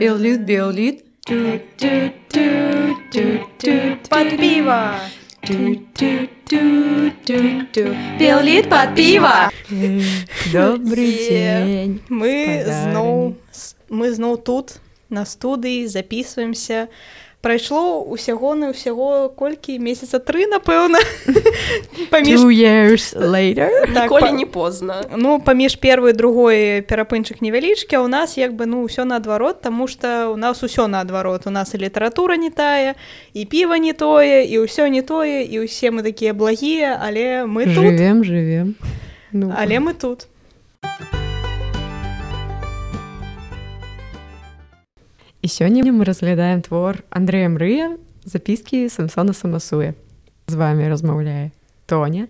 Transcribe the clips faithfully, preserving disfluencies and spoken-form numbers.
Беллит, беллит. Под пиво. Беллит под пиво. Добрый день. Мы зноў мы зноў тут на студыі записываемся. Прайшло усяго на ўсяго колькі месяца тры, напэўна. Паміж... Two years later. Так, Ніколі па... не позна. Ну, паміж першай і другой перапынчык невялічкі, а ў нас як бы ну ўсё наадварот, таму што ў нас усё наадварот. У нас і літаратура не тая, і піва не тое, і ўсё не тое, і ўсе мы такія благія, але мы тут. Жывем, жывем. Ну. Але мы тут. І сёння мы разглядаем твор Андрэя Мрыя «Запіскі Самсона Самасуя». З вами размаўляе Тоня,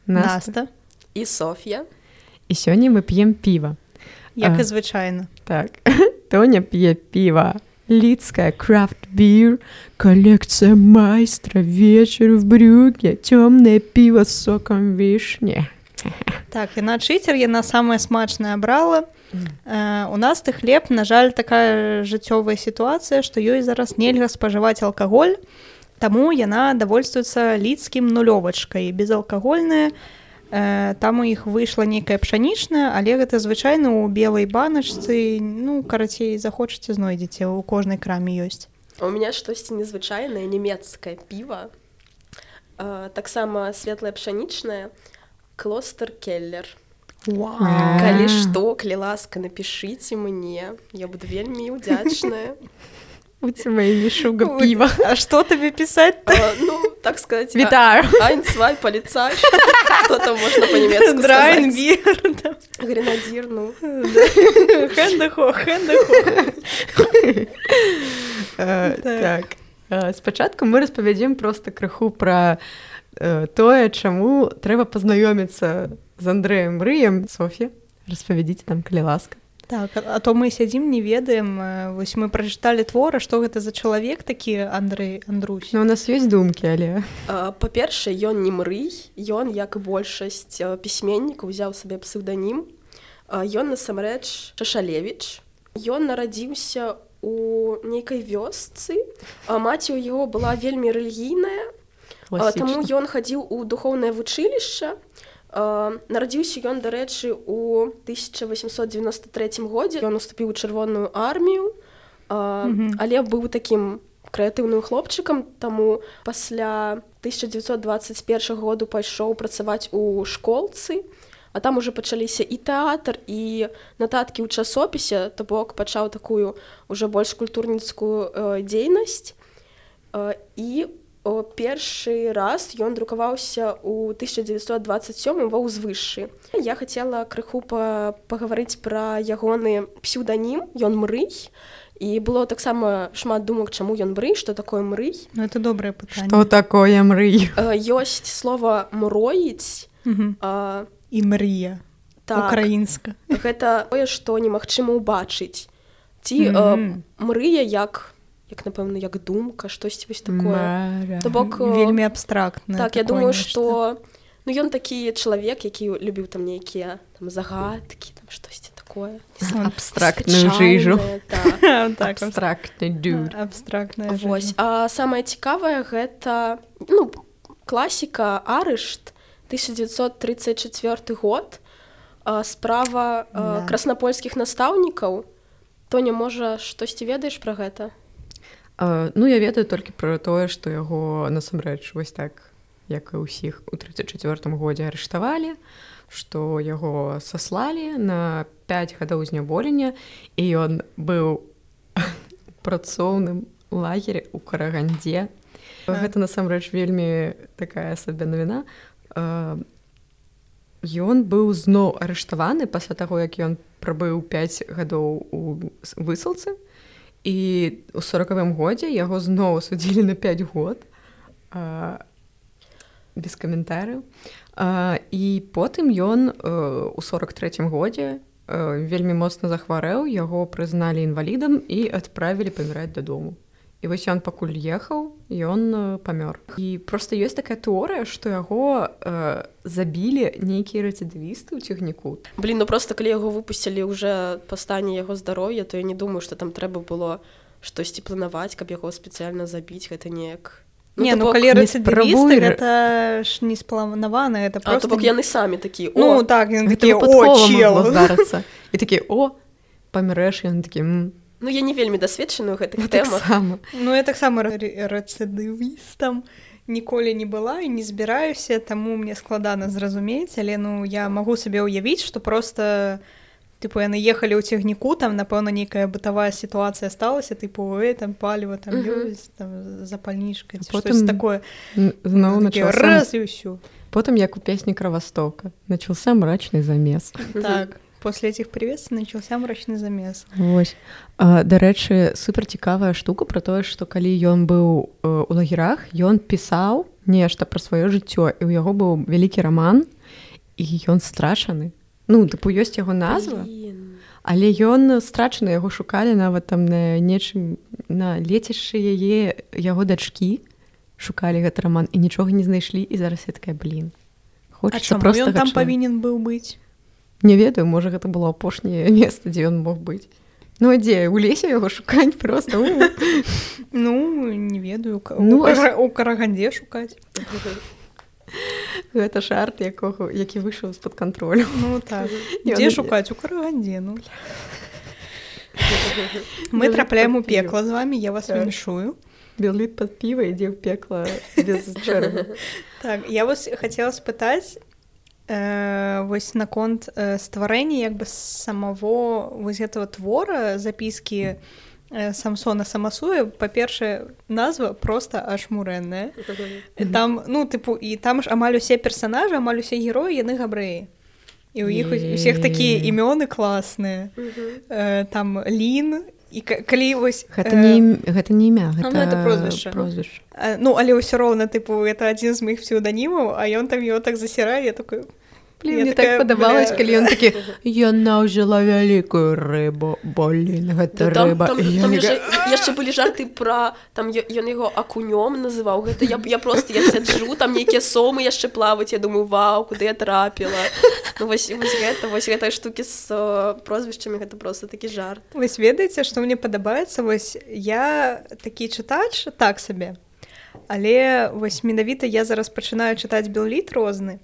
Наста Наста і Соф'я. І сёння мы п'ем піва. Як а, і звычайна. Так. Тоня п'е піва. Лідская крафт-бір, коллекция майстра, вечер в брюке, тёмное пиво с соком вишни. Так, яна чытер, яна самая смачная брала. Uh, у нас ты хлеб, на жаль, такая жыццёвая сітуацыя, што ёй зараз нельга спажываць алкаголь, таму яна давольствуецца лідскім нулёвачкай, безалкагольная. Uh, там у іх выйшла нейкая пшанічная, але гэта звычайна ў белай баначцы, ну, карацей, захочаце, знойдзеце, у кожнай краме ёсць. У меня штосьці незвычайнае, нямецкае піва, uh, таксама светлае пшанічнае, Клостер Келлер. Wow. Калі што, калі ласка, напішыце мне, я буду вельмі удзячная. У тебя мішуга піва. А што табе пісаць-то? А, ну, так сказать. Вітаю. Ein, zwei, полицай. Что там можно по-немецку сказать? Драйнбір. Гренадир, ну. Хендахо, хендахо. Так. Спачатку мы распавядзем проста крыху пра тое, чаму трэба пазнаёміцца з Андрэем Мрыем. Соф'я, распавядзіце нам, калі ласка. Так, а то мы сядзім, не ведаем. Вось мы прачыталі твора, што гэта за чалавек такі Андрэй Андрусь. Ну, у нас ёсць думкі, але... Па-першае, ён не Мрый, ён, як і большасць пісьменнікаў, узяў сабе псеўданім. Ён, насамрэч, Шашалевіч. Ён нарадзіўся у нейкай вёсцы. Маці ў яго была вельмі рэлігійная, таму ён хадзіў у духоўнае вучылішча. Uh, нарадзіўся ён, дарэчы, у тысяча восемьсот девяносто третьем годзе. Ён уступіў у чырвоную армію, uh, mm-hmm. але быў такім крэатыўным хлопчыкам, таму пасля тысяча девятьсот двадцать первого году пайшоў працаваць у школцы, а там уже пачаліся і тэатр, і нататкі ў часопісе, то бок пачаў такую уже больш культурніцкую uh, дзейнасць. Uh, і першы раз ён друкаваўся ў тысяча девятьсот двадцать сёмым ва ўзвышшы. Я хацела крыху па- пагаварыць пра ягоны псеўданім, ён Мрый, і было таксама шмат думак, чаму ён Мрый, што такое Мрый. Ну, это добрае пытанне. Што такое Мрый? Ёсць слова мроіць. Угу. А, і мрыя. Так. Украінска. Гэта тое, што немагчыма ўбачыць. Ці mm-hmm. мрыя як... як, напэўна, як думка, штосьці вось такое. То бок вельмі абстрактнае. Так, я думаю, што ну ён такі чалавек, які любіў там нейкія там загадкі, там штосьці такое. Абстрактную жыжу. Так, абстрактны dude. Абстрактная жыжа. Вось. А самае цікавае гэта, ну, класіка Арышт, тысяча девятьсот тридцать четвёрты год, справа краснапольскіх настаўнікаў. Тоня, можа, штосьці ведаеш пра гэта? Uh, ну, я ведаю толькі пра тое, што яго насамрэч вось так, як і ўсіх у тридцать четвёртым годзе арыштавалі, што яго саслалі на пять гадоў зняволення, і ён быў у працоўным лагеры ў Карагандзе. Uh. Гэта насамрэч вельмі такая сабе навіна. Uh, ён быў зноў арыштаваны пасля таго, як ён прабыў пять гадоў у высылцы. І ў сорокавым годзе яго зноў судзілі на пять год, а, без каментарыяў. А, і потым ён а, у сорок трэцім годзе а, вельмі моцна захварэў, яго прызналі інвалідам і адправілі паміраць дадому. І вось ён пакуль ехаў, ён памёр. І проста ёсць такая тэорыя, што яго э, забілі нейкія рэцидывісты ў цягніку. Блін, ну просто калі яго выпусцілі ўжо па стане яго здароўя, то я не думаю, што там трэба было штосьці планаваць, каб яго спецыяльна забіць, гэта неяк. Ну, не, ну калі рэцидывісты, гэта ж не спланавана, гэта просто... А, то бок яны самі такі, о! Ну, так, яны такі, о, чел! І такі, о, памірэш, яны такі, м. Ну, я не вельмі дасведчаная ў гэтых ну, тэмах. Так ну, я таксама рэцидывістам ніколі не была і не збіраюся, таму мне складана зразумець, але ну, я магу сабе ўявіць, што просто... Типу, яны ехалі ў цягніку, там, напэўна, нейкая бытавая сітуацыя сталася, типу, эй, там, паліва, там, uh-huh. ёсць, там, запальнічка, ці штось такое. Зноў начался... Раз і ўсё. Потым, як у песні «Кровостока», начался мрачный замес. Так, после этих приветствий начался мрачный замес. Вось. А, дарэчы, супер цікавая штука про тое, што калі ён быў э, у лагерах, ён пісаў нешта пра сваё жыццё, і ў яго быў вялікі раман, і ён страчаны. Ну, тыпу, ёсць яго назва, Блин. але ён страчаны, яго шукалі нават там на нечым, на лецішчы яе, яго дачкі, шукалі гэты раман, і нічога не знайшлі, і зараз я такая, блин. А чаму ён там павінен быў быць? Не ведаю, можа, гэта было апошняе месца, дзе ён мог быць. Ну, а дзе? У лесе яго шукаць проста? Ну, не ведаю, у Карагандзе шукаць. Гэта жарт, якога, які выйшаў з-пад кантролю. Ну так. Дзе шукаць? У Карагандзе, ну. Мы трапляем у пекла з вамі, я вас віншую. Белліт пад піва ідзе ў пекла без чэрга. Так, я вас хацела спытаць, э, вось наконт э, стварэння як бы самого вось гэтага твора, запіскі Самсона Самасуя. Па-першае, назва проста ашмурэнная. Там, ну, тыпу, і там ж амаль усе персанажы, амаль усе героі, яны габрэі. І ў іх усіх такія імёны класныя. Там Лін, і калі вось... Гэта не, гэта не імя, гэта, ну, гэта прозвішча. прозвішча. Ну, але ўсё роўна, тыпу, гэта адзін з маіх псеўданімаў, а ён там его так засірае, я такой... Блин, мне так падабалось, калі ён такі, яна ўжыла вялікую рыбу, блин, гэта там, рыба. Там, там яшчэ, яшчэ былі жарты пра, там ён яго акунём называў, гэта я, я просто, я сяджу, там нейкія сомы яшчэ плаваюць, я думаю, вау, куды я трапіла. Ну, вось, вось гэта, вось гэтыя штукі з uh, прозвішчамі, гэта просто такі жарт. Вось ведаеце, што мне падабаецца, вось я такі чытач, так сабе, але вось менавіта я зараз пачынаю чытаць Белліт розны.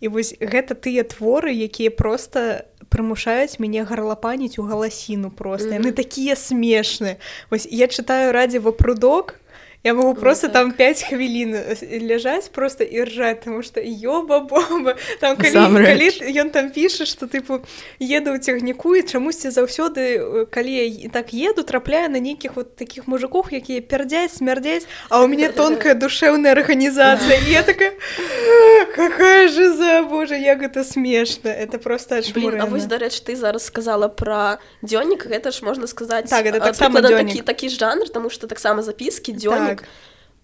І вось гэта тыя творы, якія проста прымушаюць мяне гарлапаніць у галасіну проста. Mm-hmm. Яны такія смешныя. Вось я чытаю Радзіва прудок, я могу просто ну, так. там пяць хвілін ляжаць просто і ржаць, тому што ёба-боба. Там калі, калі ён там піша, што тыпу еду ў цягніку і чамусьці заўсёды, калі я так еду, трапляю на нейкіх вот такіх мужиков, якія пярдзяць, смярдзяць, а ў мяне тонкая душэўная арганізацыя. І я такая, какая же за, боже, як гэта смешна. Это просто Блин, ашмурэнна. а вось, дарэчы, ты зараз сказала пра дзённік, гэта ж можна сказаць, так, гэта таксама дзённік. Такі, такі жанр, таму што таксама запіскі, дзённік. Так.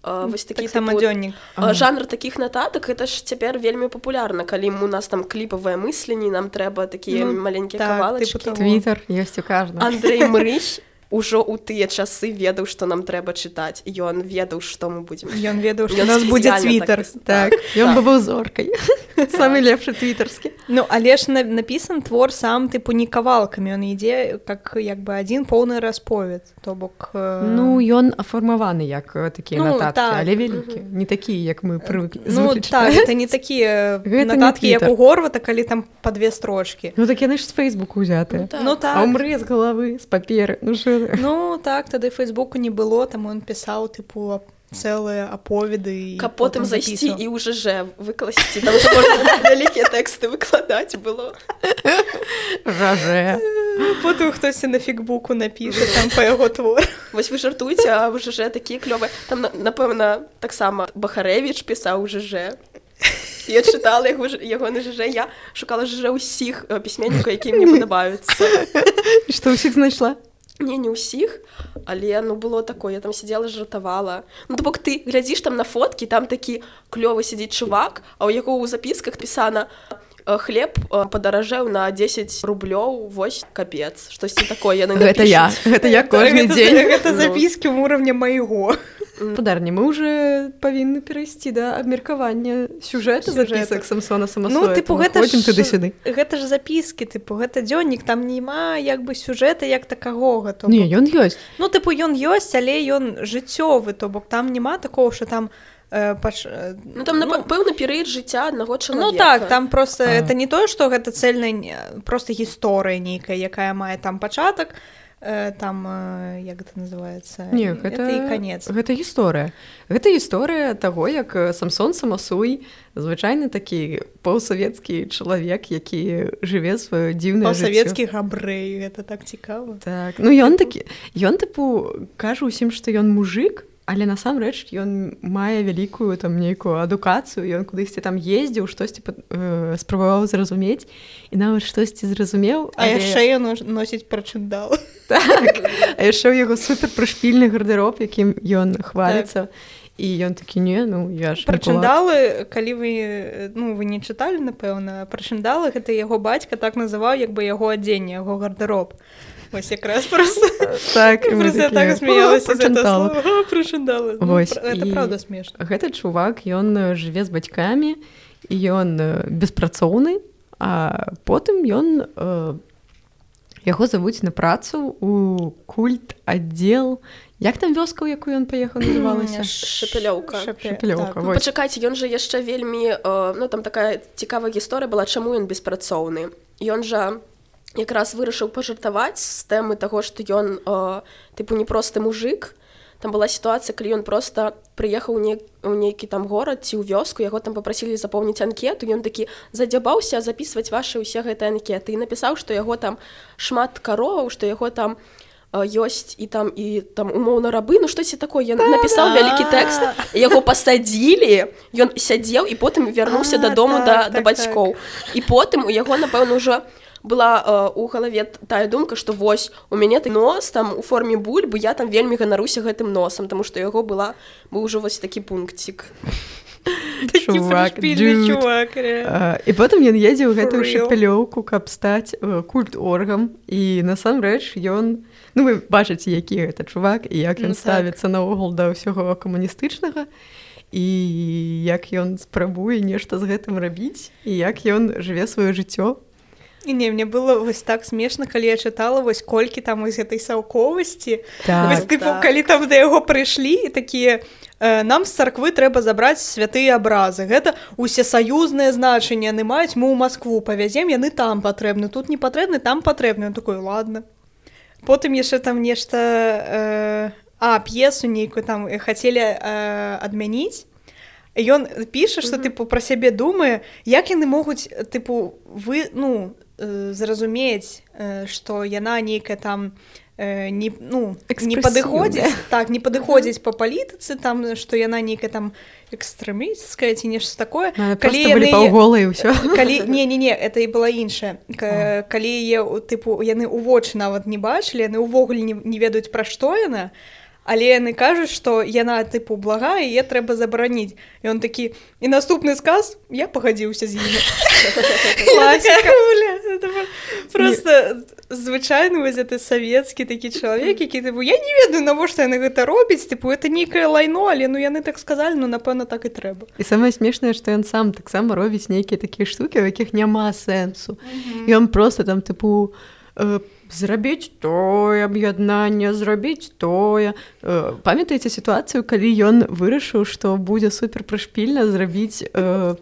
Uh, вось такі так типу, uh, жанр такіх нататак, гэта ж цяпер вельмі папулярна, калі у нас там кліпавыя мысленні, нам трэба такія ну, маленькія так, кавалачкі. Твітер ёсць у каждым. Андрэй Мрыч ужо ў тыя часы ведаў, што нам трэба чытаць. Ён ведаў, што мы будзем. Ён ведаў, што у нас будзе твітер. Так, ён бы быў зоркай. Самы лепшы твітарскі. Ну, але ж напісан твор сам, тыпу, не кавалкамі. Ён ідзе как, як бы, адзін поўны расповед. То бок... Ну, ён афармаваны як такія ну, нататкі, так. але вялікі. Не такія, як мы прывыклі. Ну, так, гэта не такія нататкі, як у Горвата, калі там па две строчкі. Ну, так яны ж з Фейсбуку ўзятыя. Ну, так. Ну, так. А ўмрэ з галавы, з паперы. Ну, що... Ну, так, тады Фейсбуку не было, там ён пісаў, тыпу, цэлыя аповеды. Каб потым зайсці і ў ЖЖ выкласці, там што можна вялікія тэксты выкладаць было. ЖЖ. Потым хтосьці на фігбуку напіша там па яго твор. Вось вы жартуеце, а ў ЖЖ такія клёвыя. Там, напэўна, таксама Бахарэвіч пісаў у ЖЖ. Я чытала яго, яго на ЖЖ, я шукала ЖЖ ўсіх пісьменнікаў, якія мне падабаюцца. І што ўсіх знайшла? Не, не ўсіх, але ну было такое, я там сидела, жартавала. Ну, то бок ты глядзіш там на фоткі, там такі клёвы сидзіць чувак, а ў яго ў запісках пісана хлеб падаражэў на дзесяць рублёў, вось капец, штосьці такое яны напішуць. Гэта я, гэта я кожны дзень. Гэта запіскі ў уровня майго. Подарні, мы уже павінны перайсці да абмеркавання сюжэта запісак Самсона Самасоя. Ну, типу, гэта ж, туды-сюды. Гэта ж запіскі, типу, гэта дзённік, там нема як бы сюжэта як такагога. То не, ён ёсць. Ну, типу, ён ёсць, але ён жыццёвы, то бок там нема такого, що там э, паш... Ну, там, ну, пэўны перыяд жыцця аднаго чалавека. Ну, так, там просто, а. это не тое, што гэта цельная, просто гісторыя нейкая, якая мае там пачатак, там, як гэта называецца? Не, гэта, гэта і канец. Гэта гісторыя. Гэта гісторыя таго, як Самсон Самасуй, звычайны такі паўсавецкі чалавек, які жыве сваё дзіўнае жыццё. Паўсавецкі габрэй, гэта так цікава. Так, ну ён такі, ён тыпу кажа ўсім, што ён мужик, але насамрэч ён мае вялікую там нейкую адукацыю, ён кудысьці там ездзіў, штосьці э, спрабаваў зразумець і нават штосьці зразумеў. А але... яшчэ ён носіць прачындал. Так, а яшчэ ў яго супер прышпільны гардэроб, якім ён хваліцца. Так. І ён такі, не, ну я ж прачындалы, калі вы, ну, вы не чыталі, напэўна, прачындалы, гэта яго бацька так называў, як бы яго адзенне, яго гардэроб. Вось якраз просто так, я так смеялася з гэта слова, прачындалы. Гэта правда смешна. Гэты чувак, ён жыве з бацькамі, і ён беспрацоўны, а потым ён яго завуць на працу у культ аддзел. Як там вёска, у якую ён паехаў, называлася? Шапялёўка. Шапялёўка, так. Ну, пачакайце, ён жа яшчэ вельмі, ну, там такая цікавая гісторыя была, чаму ён беспрацоўны. Ён жа якраз вырашыў пажартаваць з тэмы таго, што ён, тыпу, не просты мужик. Там была сітуацыя, калі ён проста прыехаў у, не, у нейкі там горад ці ў вёску, яго там папрасілі запоўніць анкету, ён такі задзябаўся запісваць вашы ўсе гэтыя анкеты і напісаў, што яго там шмат кароваў, што яго там ёсць і там і там умоўна рабы, ну штосьці такое, ён напісаў вялікі тэкст, яго пасадзілі, ён сядзеў і потым вярнуўся дадому да, да бацькоў. І потым у яго, напэўна, ўжо была э, у галаве тая думка, што вось у мяне ты нос там у форме бульбы, я там вельмі ганаруся гэтым носам, таму што яго была быў ужо вось такі пункцік. Чувак, чувак, uh, і потым ён едзе ў гэтую шапялёўку, каб стаць uh, культ-оргам, і насамрэч ён, ну вы бачыце, які гэта чувак і як ён ну, ставіцца так. Наогул да ўсяго камуністычнага, і як ён спрабуе нешта з гэтым рабіць, і як ён жыве сваё жыццё. І не, мне было вось так смешна, калі я чытала вось колькі там з гэтай саўковасці. Так, вось, тыпу, так. Калі там да яго прыйшлі і такія, э, нам з царквы трэба забраць святыя абразы. Гэта усесаюзнае значэнне, яны маюць, мы ў Маскву павязем, яны там патрэбны, тут не патрэбны, там патрэбны. Он такой, ладно. Потым яшчэ там нешта, э, а, п'есу нейкую там хацелі э, адмяніць. Ён піша, што, тыпу, пра сябе думае, як яны могуць, тыпу, вы, ну, э, зразумець, э, што яна нейкая там, э, не, ну, не падыходзіць, так, не падыходзіць па палітыцы, там, што яна нейкая там экстрэмісцкая ці нешта такое. Ну, калі былі паўголы і ўсё. Калі, не-не-не, это і была іншая. К, калі яе, тыпу, яны ў вочы нават не бачылі, яны ўвогуле не, не ведаюць, пра што яна, але яны кажуць, што яна, тыпу, благая, і яе трэба забараніць. І он такі, і наступны сказ, я пагадзіўся з імі. Класіка, бля. Просто звычайны вось гэты савецкі такі чалавек, які, тыпу, я не ведаю, навошта яны гэта робяць, тыпу, это нейкае лайно, але, ну, яны так сказалі, ну, напэўна, так і трэба. І самае смешнае, што ён сам таксама робіць нейкія такія штукі, у якіх няма сэнсу. І ён проста там, тыпу, зрабіць тое аб'яднанне, зрабіць тое. Памятаеце сітуацыю, калі ён вырашыў, што будзе супер прышпільна зрабіць э,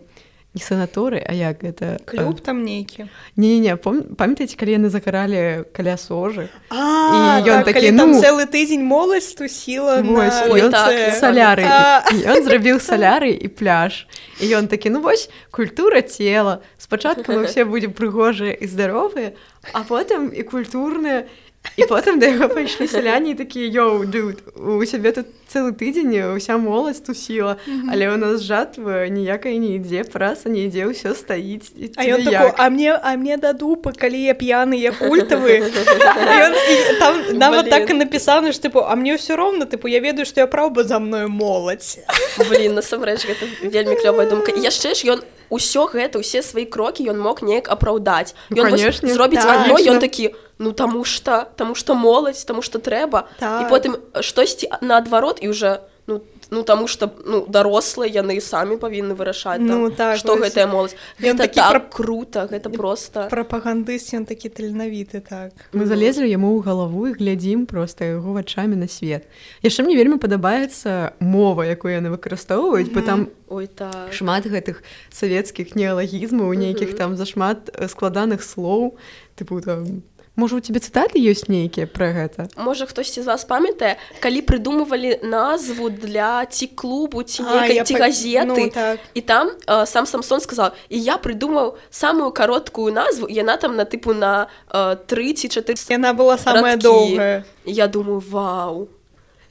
не санаторый, а як гэта? Клуб там нейкі. Не-не-не, памятаеце, калі яны закаралі каля сожы? А, і ён так, такі, калі там ну, цэлы тыдзень моладзь тусіла на вуліцы. Саляры. І ён зрабіў саляры і пляж. І ён такі, ну вось, культура цела. Спачатку мы ўсе будзем прыгожыя і здаровыя, а потым і культурныя. І потым да яго пайшлі сяляне і такія, йоу, дуд, у сябе тут цэлы тыдзень уся моладзь тусіла, mm-hmm. але ў нас жатва ніякая не ідзе, праса не ідзе, ўсё стаіць. А ён тако, а мне, а мне да дупы, калі я п'яны, я культавы. І он, і там нават так і напісана, што, тыпу, а мне ўсё роўна, тыпу, я ведаю, што я праўда за мною моладзь. Блін, насамрэч, гэта вельмі клёвая думка. І яшчэ ж ён усё гэта, усе свае крокі ён мог неяк апраўдаць. Ён ну, зробіць так, адно, ён такі, ну таму што, таму што моладзь, таму што трэба. Так. І потым штосьці наадварот, і ўжо, Ну, ну таму што ну, дарослыя яны самі павінны вырашаць, ну, там, так, што вось... гэтая моладзь. Гэта так пра... крута, гэта проста... Прапагандыст, ён такі таленавіты, так. Мы mm-hmm. залезлі яму ў галаву і глядзім проста яго вачамі на свет. Яшчэ мне вельмі падабаецца мова, якую яны выкарыстоўваюць, mm-hmm. бо там Ой, так. шмат гэтых савецкіх неалагізмаў, нейкіх mm-hmm. там зашмат складаных слоў, тыпу там... Можа, у тебе цытаты ёсць нейкія пра гэта? Можа, хтосьці з вас памятае, калі прыдумывалі назву для ці клубу, ці нейкай, ці газеты, ну, так. і там э, сам Самсон сказаў, і я прыдумаў самую кароткую назву, яна там на тыпу на э, тры ці чатыры радкі. Яна была самая доўгая. Я думаю, вау.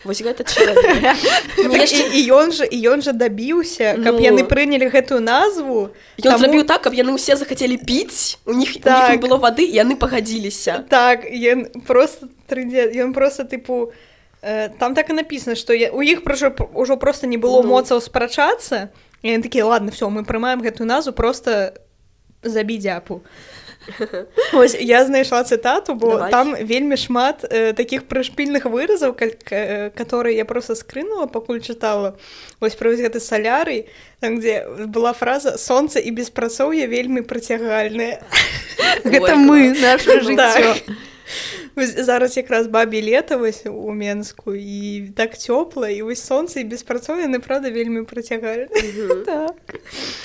Вось гэта чалавек. І ён жа і ён жа дабіўся, каб яны прынялі гэтую назву. Ён зрабіў так, каб яны ўсе захацелі піць, у них не было вады, і яны пагадзіліся. Так, ён просто ён просто тыпу там так і напісана, што у іх ўжо проста не было моцаў спрачацца, і яны такія, ладно, всё, мы прымаем гэтую назву, просто забі дзяпу. Ось, я знайшла цытату, бо Давай. Там вельмі шмат э, такіх прышпільных выразаў, э, которые я просто скрынула, пакуль чытала. Вось пра гэты салярый, там, дзе была фраза «Сонца і беспрацоўе вельмі прыцягальныя». Гэта мы, наша жыццё. Зараз якраз бабі лета вось у Менску, і так цёпла, і вось сонца і беспрацоўе, яны, правда, вельмі прыцягалі. Так.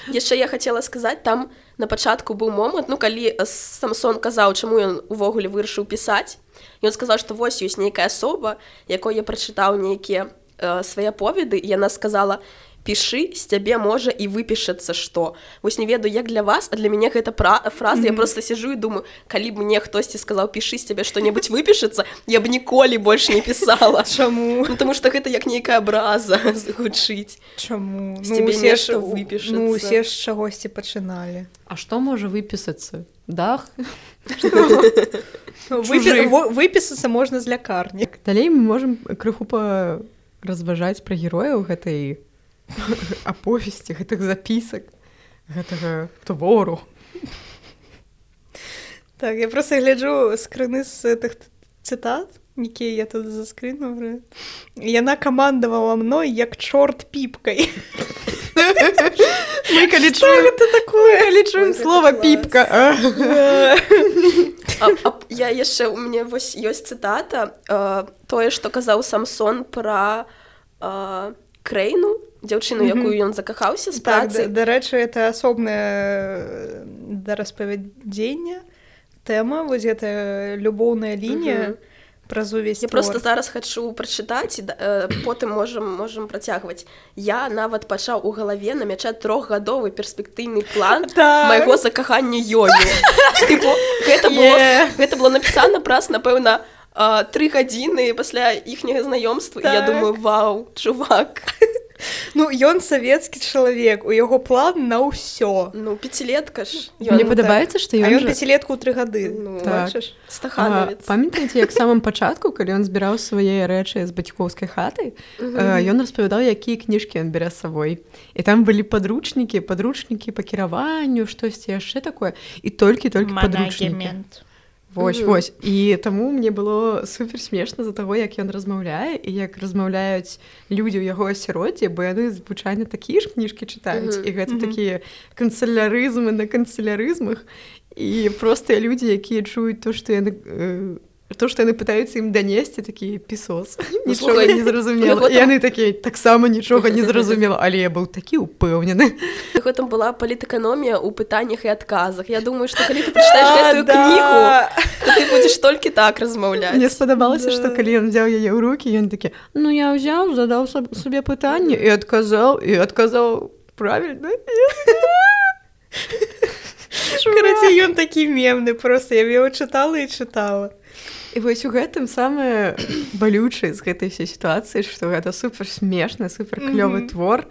Яшчэ я хацела сказаць, там на пачатку быў момант, ну, калі Самсон казаў, чаму ён увогуле вырашыў пісаць, ён сказаў, што вось ёсць нейкая асоба, якой я прачытаў нейкія э, свае аповеды, і яна сказала, пішы, з цябе можа і выпішацца што. Вось не ведаю, як для вас, а для мяне гэта пра... фраза, mm-hmm. я просто сижу і думаю, калі б мне хтосьці сказаў, пішы, з цябе што-небудзь выпішацца, я б ніколі больш не пісала. Чаму? Ну, тому што гэта як нейкая абраза гучыць. Чаму? З цябе ну, нешта выпішацца. Ну, усе ж чагосьці пачыналі. А што можа выпісацца? Дах? Выпісацца можна з лякарні. Далей мы можам крыху паразважаць пра герояў гэтай аповесці, гэтых запісак, гэтага твору. Так, я просто гляджу скрыны з гэтых цытат, якія я тут заскрынула. Яна камандавала мной як чорт піпкай. Мы калі чуем гэта такое, калі чуем слова піпка. Я яшчэ, у мяне вось ёсць цытата, тое, што казаў Самсон пра Крэйну, дзяўчыну, якую ён закахаўся з працы. Так, дарэчы, это асобнае да распавядзення тэма, вось гэта любоўная лінія праз увесь твор. Я просто зараз хачу прачытаць, і потым можам можам працягваць. Я нават пачаў у галаве намячаць трохгадовы перспектыўны план майго закахання ёю. Гэта было напісана праз, напэўна, тры гадзіны пасля іхняга знаёмства, і я думаю, вау, чувак. Ну, ён савецкі чалавек, у яго план на ўсё. Ну, пяцілетка ж. Мне падабаецца, што ён... А ён пяцілетку ў тры гады. Ну, бачыш, стаханавец. Памятаеце, як самым пачатку, калі ён збіраў свае рэчы з бацькоўскай хаты, ён распавядаў, якія кніжкі ён бярэ з сабой. І там былі падручнікі, падручнікі па кіраванню, штосьці яшчэ такое, і толькі-толькі падручнікі. Вось, mm-hmm. вось. І таму мне было супер смешна за таго, як ён размаўляе і як размаўляюць людзі ў яго асяроддзі, бо яны звычайна такія ж кніжкі чытаюць, mm-hmm. і гэта mm-hmm. такія канцелярызмы на канцелярызмах, і простыя людзі, якія чуюць то, што яны... Э, то, што яны пытаюцца ім данесці, такі пісос. Нічога не зразумела. І яны такія, таксама нічога не зразумела, але я быў такі ўпэўнены. Яго там была палітэканомія ў пытаннях і адказах. Я думаю, што калі ты прачытаеш гэтую кнігу, то ты будзеш толькі так размаўляць. Мне спадабалася, што калі ён взяў яе ў рукі, ён такі, ну я ўзяў, задаў сабе пытанне і адказаў, і адказаў правільна. Караці, ён такі мемны, проста я яго чытала і чытала. І вось у гэтым самае балючае з гэтай всей сітуацыі, што гэта супер смешны, супер клёвы mm-hmm. твор,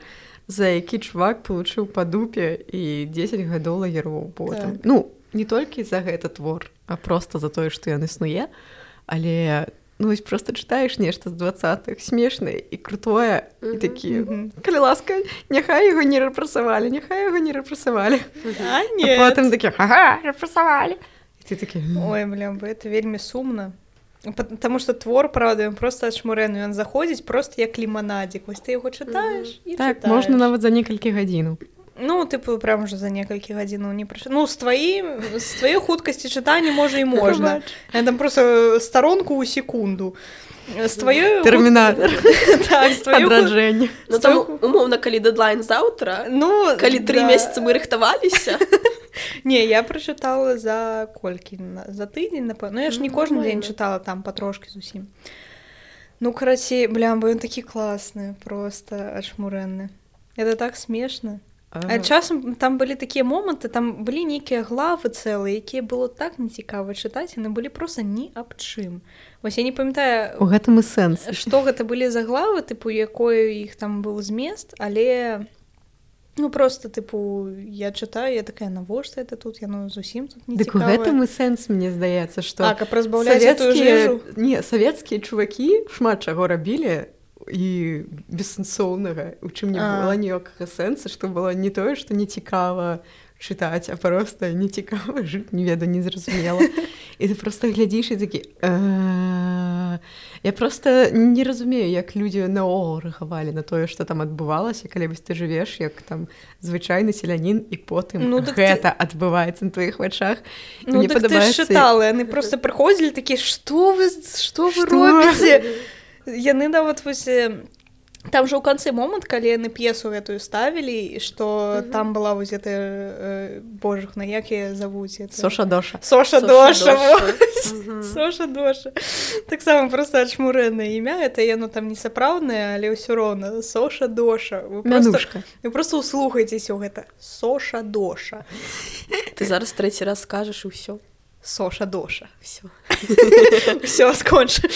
за які чувак получыў па дупе і дзесяць гадоў лагероў потым. Так. Ну, не толькі за гэты твор, а проста за тое, што ён існуе, але ну, вось проста чытаеш нешта з дваццатых, смешнае і крутое, mm-hmm. і такі, mm-hmm. калі ласка, няхай яго не рэпрэсавалі, няхай яго не рэпрэсавалі. А, нет. А потым такі, ага, рэпрэсавалі. Ты такі... Ой, блин, это вельмі сумна. Потому что твор, правда, ён просто адшмурэны, ён заходзіць просто як ліманадзік. Вось ты яго чытаеш і так, чытаеш. Можна нават за некалькі гадзінаў. Ну, типу, прям уже за некалькі гадзінаў не прыйшло. Ну, з тваім, з тваёй хуткасці чытання, можа, і можна. Я там просто сторонку ў секунду. З тваёй... Тэрмінатор. Так, з тваёй... Адраджэнне. Ну, там, умоўна, калі дэдлайн заўтра, ну, калі тры месяцы мы рыхтаваліся. Не, я прачытала за колькі? За тыдзень, напэўна. Ну, я ж не кожны дзень чытала там патрошкі зусім. Ну, карацей, блям, бо ён такі класны, просто адшмурэнны. Это так смешна. А часам там былі такія моманты, там былі нейкія главы цэлыя, якія было так нецікава чытаць, яны былі проста ні аб чым. Вось я не памятаю, у гэтым і сэнс. Што гэта былі за главы, тыпу, якой іх там быў змест, але ну просто тыпу я чытаю, я такая, навошта это тут, яно зусім тут не цікавае. Дык у гэтым і сэнс, мне здаецца, што а, каб разбаўляць этую жыжу. Не, савецкія чувакі шмат чаго рабілі, і бессэнсоўнага, у чым не было ніякага сэнса, што было не тое, што не цікава чытаць, а проста не цікава жыць, не ведаю, не зразумела. І ты проста глядзіш і такі... Я проста не разумею, як людзі наогул рэагавалі на тое, што там адбывалася, калі вось ты жывеш, як там звычайны селянін, і потым ну, гэта ты... адбываецца на тваіх вачах. Ну, так падабаецца... ты ж чытала, яны проста прыходзілі такі, што вы, што вы робіце? Яны нават вось там же ў канцы момант, калі яны п'есу гэтую ставілі, што mm-hmm. там была вось гэта э, божухна, як яе завуць это... Соша Доша. Соша Доша. Соша Доша. Таксама проста адшмурэнае імя, это яно там не сапраўднае, але ўсё роўна. Соша Доша. Вы Мянушка. Просто, вы просто услухайцеся ў гэта. Соша Доша. Ты зараз трэці раз скажаш і ўсё. Соша Доша. Всё. Всё, скончу.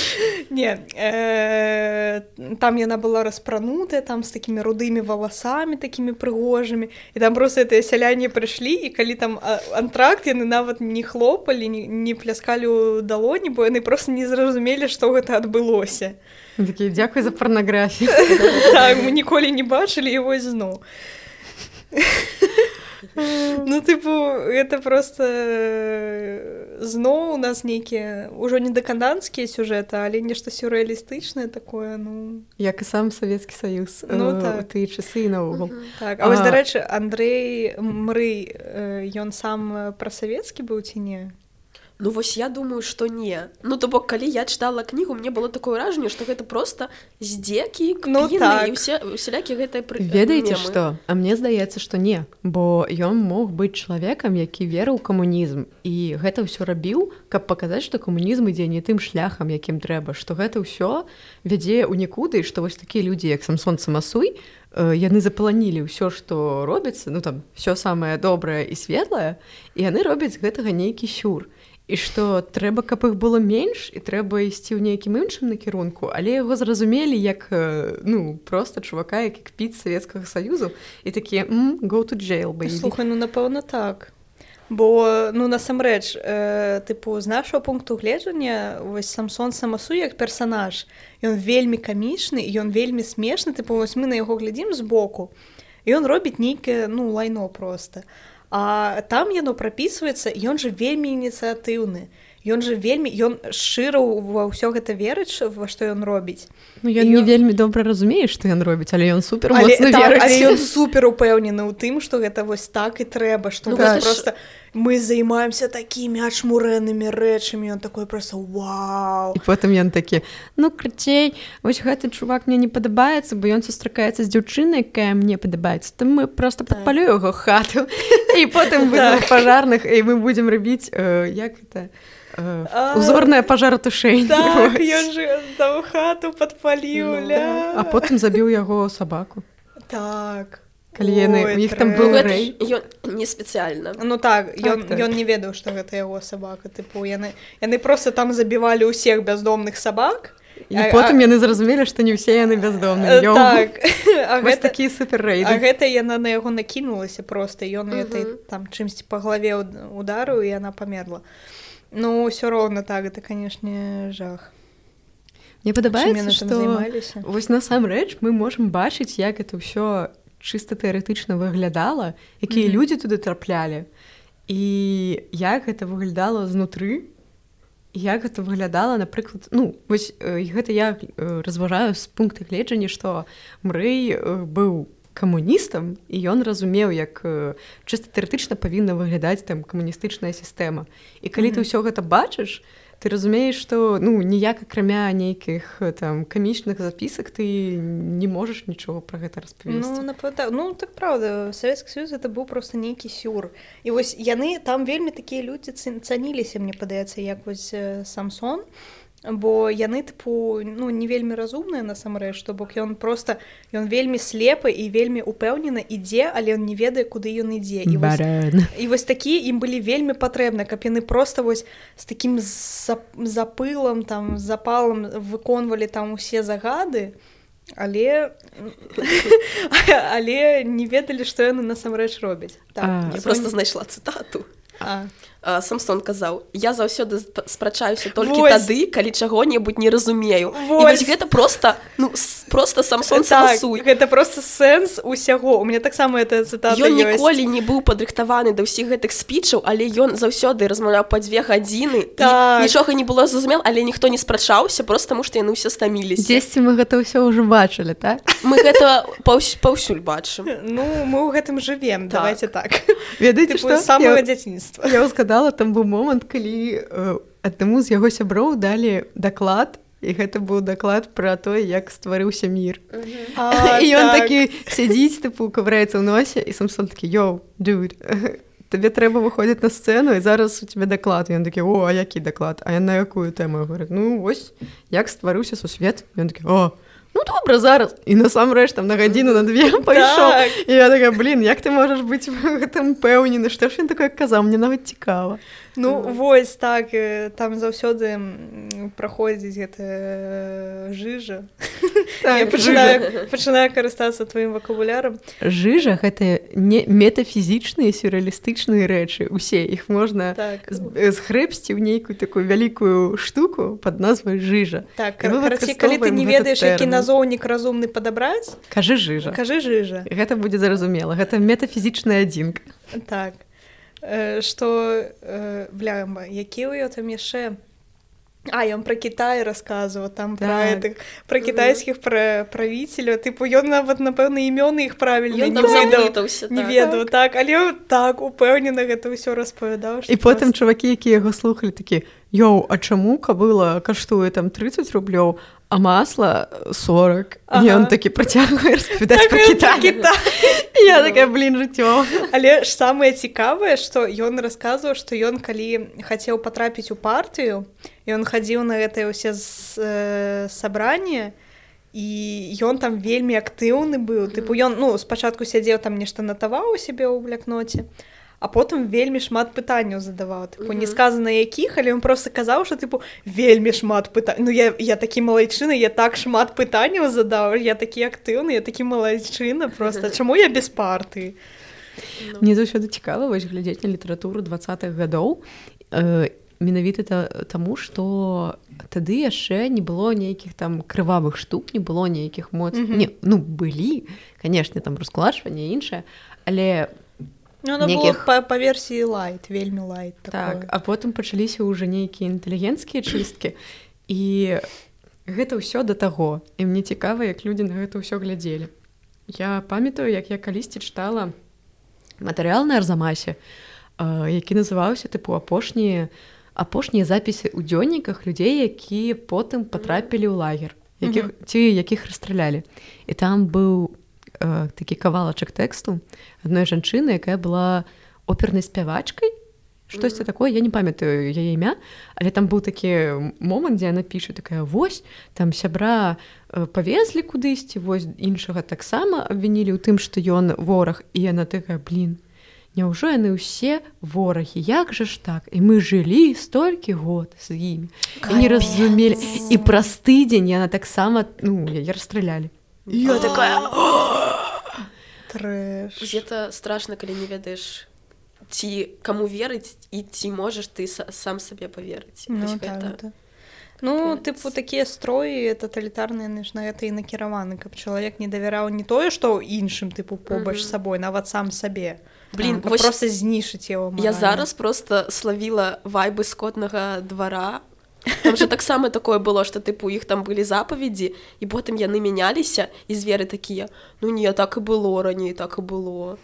Не, э, там яна была распранутая, там з такімі рудымі валасамі, такімі прыгожымі. І там проста гэтыя сяляне прыйшлі, і калі там антракт, яны нават не хлопалі, не, не пляскалі ў далоні, бо яны проста не зразумелі, што гэта адбылося. Такі, дзякуй за парнаграфію. Так, мы ніколі не бачылі, і вось зноў. Ну, типу, это просто зноў у нас нейкія ўжо не дэкаданцкія сюжэты, але нешта сюррэалістычнае такое, ну... Як і сам Савецкі Саюз ну, э, так. у тыя часы і наогул. Так, а, а вось, дарэчы, Андрэй Мрый, ён сам прасавецкі быў ці не? Ну вось я думаю, што не. Ну то бок, калі я чытала кнігу, мне было такое ўражанне, што гэта проста здзекі, кпіны, ну, так. і ўсе, усялякі гэтыя пры... Ведаеце што? А мне здаецца, што не, бо ён мог быць чалавекам, які верыў у камунізм, і гэта ўсё рабіў, каб паказаць, што камунізм ідзе не тым шляхам, якім трэба, што гэта ўсё вядзе ў нікуды, і што вось такія людзі, як Самсон Самасуй, яны запланілі ўсё, што робіцца, ну там, ўсё самае добрае і светлае, і яны робяць гэтага нейкі сюр. І што трэба, каб іх было менш, і трэба ісці ў нейкім іншым накірунку, але яго зразумелі як, ну, проста чувака, які кпіць Савецкага Саюзу, і такія, mm, go to jail, baby. Слухай, ну, напэўна, так. Бо, ну, насамрэч, э, тыпу, з нашого пункту гледжання, вось Самсон Самасуй як персанаж, ён вельмі камічны, і ён вельмі смешны, тыпу, вось мы на яго глядзім збоку, і ён робіць нейкае, ну, лайно проста. А там яно прапісваецца, ён жа вельмі ініцыятыўны. Ён жа вельмі, ён шчыра ва ўсё гэта верыць, во што ён робіць. Ну, ён не ён... вельмі добра разумее, што ён робіць, але ён супер моцна верыць. Але ён супер упэўнены ў тым, што гэта вось так і трэба, што ну, проста мы займаемся такімі адшмурэнымі рэчамі, ён такой проста вау. І потым ён такі, ну, крыцей, вось гэты чувак мне не падабаецца, бо ён сустракаецца з дзяўчынай, якая мне падабаецца, то мы проста падпалю яго хату, і потым вызовем пажарных, і мы будзем рабіць, як гэта... Uh, узорная пажаротушэнне. Так, ён же там хату падпаліў, ну, ля. А потым забіў яго сабаку. Так. Калі яны, у іх там быў рэй. Ён не спецыяльна. Ну так, ён, так, так. Ён не ведаў, што гэта яго сабака. Тыпу, яны, яны проста там забівалі ўсіх бяздомных сабак. І а, потым а... яны зразумелі, што не ўсе яны бяздомныя. Так. А вось гэта, такі суперрэйды. А гэта яна на яго накінулася проста. Ён uh-huh. этой, там чымсьці па галаве ударыў, і яна памерла. Ну, ўсё роўна так, это, канешне, жах. Мне падабаецца, што вось насамрэч мы можам бачыць, як это ўсё чыста тэарэтычна выглядала, якія mm-hmm. людзі туды траплялі, і як гэта выглядала знутры. як гэта выглядала, напрыклад, ну, вось гэта я разважаю з пункта гледжання, што Мрэй быў камуністам, і ён разумеў, як чыста тэарэтычна павінна выглядаць там камуністычная сістэма. І калі mm-hmm. ты ўсё гэта бачыш, ты разумееш, што ну, ніяк акрамя нейкіх там камічных запісак ты не можаш нічога пра гэта распавесці. Ну, напэўна, ну так правда, Савецкі Саюз гэта быў проста нейкі сюр. І вось яны там вельмі такія людзі цаніліся, мне падаецца, як вось Самсон, бо яны тыпу ну не вельмі разумныя насамрэч, што бок ён просто ён вельмі слепы і вельмі упэўнена ідзе, але ён не ведае, куды ён ідзе. І вось, і вось такія ім былі вельмі патрэбны, каб яны просто вось з такім запылам там запалам выконвалі там усе загады, але але не ведалі, што яны насамрэч робяць. Так, я просто знайшла цытату. А Самсон казаў: я заўсёды спрачаюся толькі тады, калі чаго-небудзь не разумею. І вось гэта просто ну просто Самсон самасуй. Гэта просто сэнс усяго. У мяне таксама эта цытата ёсць. Ён ніколі не быў падрыхтаваны да ўсіх гэтых спічаў, але ён заўсёды размаўляў па дзве гадзіны. Нічога не было зразумела, але ніхто не спрачаўся, просто таму што яны ўсе стаміліся. Дзесьці мы гэта ўсё ўжо бачылі, так? Мы гэта паўсюль бачым. Ну, мы ў гэтым жывем, давайте так. Ведаеце, што? З самага дзяцінства. Я ўзгадала, там быў момант, калі э, аднаму з яго сяброў далі даклад, і гэта быў даклад пра тое, як стварыўся мір. Uh-huh. А, і ён так. такі сядзіць, тыпу, кавраецца ў носе, і Самсон такі: «Йоу, dude, табе трэба выходзіць на сцэну, і зараз у тебе даклад». І ён такі: «О, а які даклад? А я на якую тэму?» Я говорю: «Ну, вось, як стварыўся сусвет». І ён такі: «О, ну добра, зараз». І насамрэч там на гадзіну, на две пайшоў. Так. І я такая: «Блін, як ты можаш быць гэтым пэўнены? Што ж ён такое казаў? Мне нават цікава». Ну, mm. вось так, там заўсёды праходзіць гэта жыжа. Так, я пачынаю, пачынаю карыстацца тваім вакабулярам. Жыжа — гэта не метафізічныя сюррэалістычныя рэчы. Усе іх можна так. згрэбсці ў нейкую такую вялікую штуку пад назвай жыжа. Так, караці, калі ты не ведаеш, які назоўнік разумны падабраць, кажы жыжа. Кажы жыжа. Гэта будзе зразумела. Гэта метафізічная адзінка. Так. Што, бля, які ў ё там яшчэ... А, ён пра Кітай расказваў, там так. пра гэтых, пра кітайскіх пра, правіцеляў, тыпу, ён нават, напэўна, імёны іх правільна не ведаў, так. не ведаў, так. так, але так, упэўнена гэта ўсё распавядаў. І потым просто... чувакі, якія яго слухалі, такі: «Йоу, а чаму кабыла каштуе там трыццаць рублёў, а масла сорок?» Ага. І ён такі працягвае распавядаць так, пра Кітай. Кітай. Я такая: «Блін, жыццё». Але ж самае цікавае, што ён расказваў, што ён, калі хацеў патрапіць у партыю, ён хадзіў на гэтыя ўсе э, сабранні, і ён там вельмі актыўны быў. Тыпу, ён, ну, спачатку сядзеў там нешта натаваў у сябе ў блякноце, а потым вельмі шмат пытанняў задаваў. Тыпу, не сказана якіх, але ён проста казаў, што тыпу вельмі шмат пытанняў. Ну, я, я такі малайчына, я так шмат пытанняў задаў, я такі актыўны, я такі малайчына, проста чаму я без партыі? Мне заўсёды цікава вось глядзець на літаратуру дваццатых гадоў. Э, менавіта таму, што тады яшчэ не было нейкіх там крывавых штук, не было нейкіх моц... Mm-hmm. Не, ну, былі, канешне, там раскулачванне і іншае, але... Ну, она нейкіх... была па, па версіі лайт, вельмі лайт. Так, а потым пачаліся ўжо нейкія інтэлігенцкія чысткі, і гэта ўсё да таго. І мне цікава, як людзі на гэта ўсё глядзелі. Я памятаю, як я калісьці чытала матэрыял на Арзамасе, які называўся тыпу апошнія апошнія запісы ў дзённіках людзей, якія потым патрапілі ў лагер, якіх, mm-hmm. ці якіх расстралялі. І там быў э, такі кавалачак тэксту адной жанчыны, якая была опернай спявачкай, штосьці mm-hmm. такое, я не памятаю яе імя, але там быў такі момант, дзе яна піша такая: «Вось, там сябра э, павезлі кудысьці, вось іншага таксама абвінілі ў тым, што ён вораг». І яна такая: «Блін, няўжо яны ўсе ворагі, як жа ж так? І мы жылі столькі год з імі». І не разумелі. І праз тыдзень яна таксама, ну, яе расстралялі. І я такая: трэш. Гэта страшна, калі не ведаеш, ці каму верыць, і ці можаш ты сам сабе паверыць. Ну, так, гэта... Ну, тыпу, такія строі таталітарныя, ж на гэта і накіраваны, каб чалавек не давяраў не тое, што іншым, тыпу, побач з сабой, нават сам сабе. Блин, вось... просто знішыць яго морально. Я зараз просто славіла вайбы скотнага двара, Там же таксама такое было, што тыпу іх там былі запаведзі, і потым яны мяняліся, і зверы такія: ну не, так і было раней, так і было.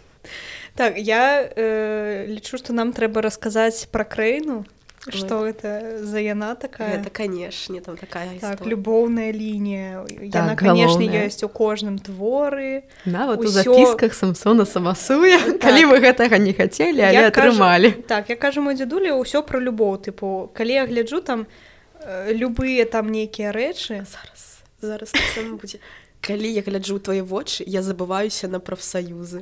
Так, я э, лічу, што нам трэба расказаць пра Крэйну, што гэта за яна такая. Гэта, канешне, там такая так, гісторыя. Любоўная лінія. Так, яна, канешне, галоўная. ёсць у кожным творы. Нават у Усё... запісках Самсона Самасуя, так. калі вы гэтага не хацелі, але Я атрымалі. Кажу, так, я кажу мой дзядуля, ўсё пра любоў. Тыпу, калі я гляджу там э, любыя там нейкія рэчы... Зараз, зараз так сама будзе. Калі я гляджу ў твае вочы, я забываюся на прафсаюзы.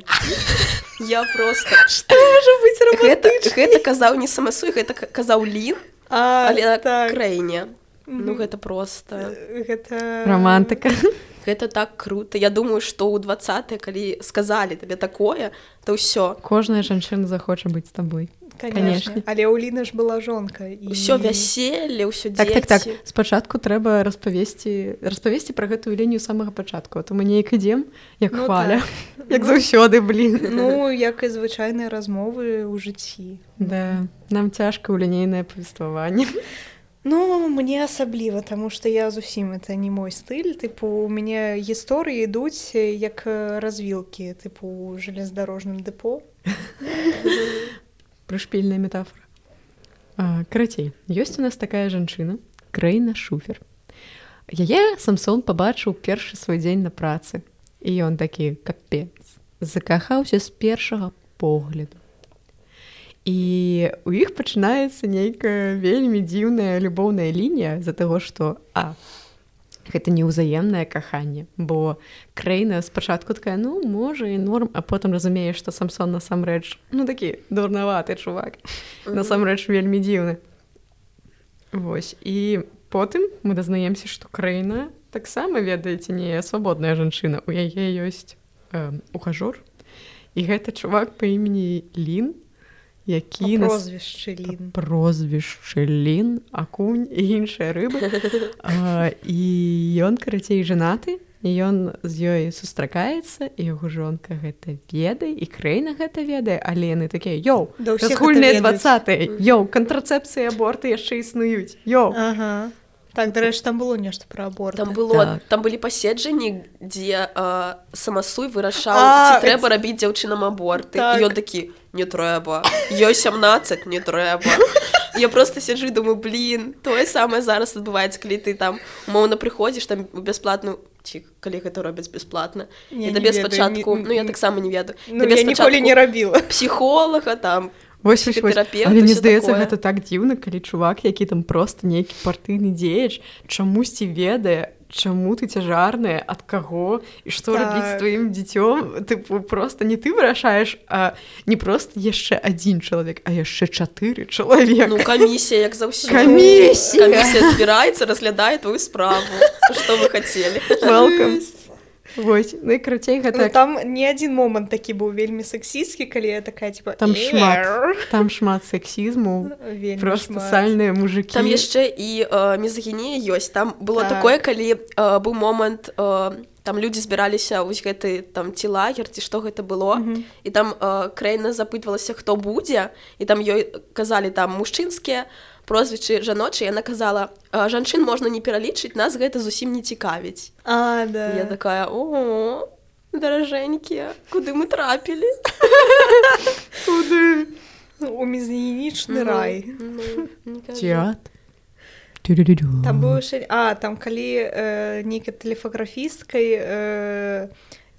Я просто... Што можа быць романтычней? Гэта, гэта казаў не Самасуй, гэта казаў Лін, а, але так. Крэйне. Mm-hmm. Ну, гэта просто... Гэта... Романтыка. Гэта так круто. Я думаю, што ў двадцатыя, калі сказалі табе такое, то ўсё. Кожная жанчына захоча быць з табой. Конечно. Але ў Ліны ж была жонка. І... Усё вяселле, ўсё так, дзеці. так, так. Спачатку трэба распавесці, распавесці пра гэтую лінію самага пачатку, а то мы неяк ідзем, як ну, хваля. Так. Як заўсёды, блін. Ну, як і звычайныя размовы ў жыцці. Да, нам цяжка ў лінейнае павестваванне. Ну, мне асабліва, таму што я зусім это не мой стыль. Тыпу, у мяне гісторыі ідуць як развілкі, тыпу, ў жалездарожным дэпо. Прышпільная метафора. А, карацей, ёсць у нас такая жанчына, Крэйна Шуфер. Яе Самсон пабачыў першы свой дзень на працы. І ён такі, капец, закахаўся з першага погляду. І у іх пачынаецца нейкая вельмі дзіўная любоўная лінія з-за таго, што а, гэта неўзаемнае каханне, бо Крэйна спачатку такая, ну, можа і норм, а потым разумее, што Самсон насамрэч, ну, такі дурнаваты чувак, mm-hmm. насамрэч вельмі дзіўны. Вось, і потым мы дазнаемся, што Крэйна таксама, ведаеце, не свабодная жанчына, у яе ёсць э, ухажор, і гэта чувак па імені Лін, які а прозвішчы нас... Лін. Прозвішчы Лін, акунь і іншыя рыбы. а, і ён, карацей, жанаты, і ён з ёй сустракаецца, і яго жонка гэта ведае, і Крэйна гэта ведае, але яны такія, йоу, да разгульныя двадцатыя, йоу, кантрацэпцыі, аборты яшчэ існуюць, йоу. Ага. Так, дарэчы, там было нешта пра аборты. Там было, так. Там былі паседжанні, дзе э, Самасуй вырашаў, а, ці трэба это... рабіць дзяўчынам аборты. Так. І ён такі, не трэба. Ёй сямнаццаць, не трэба. Я просто сяджу і думаю, блин, тое самае зараз адбываецца, калі ты там умоўна прыходзіш там бясплатную, ці калі гэта робяць бясплатна. І табе спачатку, ну я таксама не ведаю. Ну я ніколі не рабіла. Псіхолага там, Вось, вось, вось. Але мне здаецца, гэта так дзіўна, калі чувак, які там проста нейкі партыйны дзеяч, чамусьці ведае, чаму ты цяжарная, ад каго, і што так. рабіць з тваім дзіцём. Тыпу, проста не ты вырашаеш, а не проста яшчэ адзін чалавек, а яшчэ чатыры чалавека. Ну, камісія, як заўсёды. Камісія! Камісія збіраецца, разглядае твою справу. Што вы хацелі. Welcome. Вось, ну і карацей гэта... Ну, там не адзін момант такі быў вельмі сексістскі, калі я такая, типа... Там шмат, там шмат сексізму, просто шмат. Сальныя мужыкі. Там яшчэ і э, мізагінія ёсць. Там было так. такое, калі э, быў момант, э, там людзі збіраліся вось гэты там ці лагер, ці што гэта было, mm-hmm. і там э, Крэйна запытвалася, хто будзе, і там ёй казалі там мужчынскія, прозвічы жаночыя, яна казала, жанчын можна не пералічыць, нас гэта зусім не цікавіць. А, да. Я такая, о, даражэнькія, куды мы трапілі? Куды? У мізагінічны рай. Театр. Там быў ще... А, там калі э, нейкай тэлефаграфісткай... Э,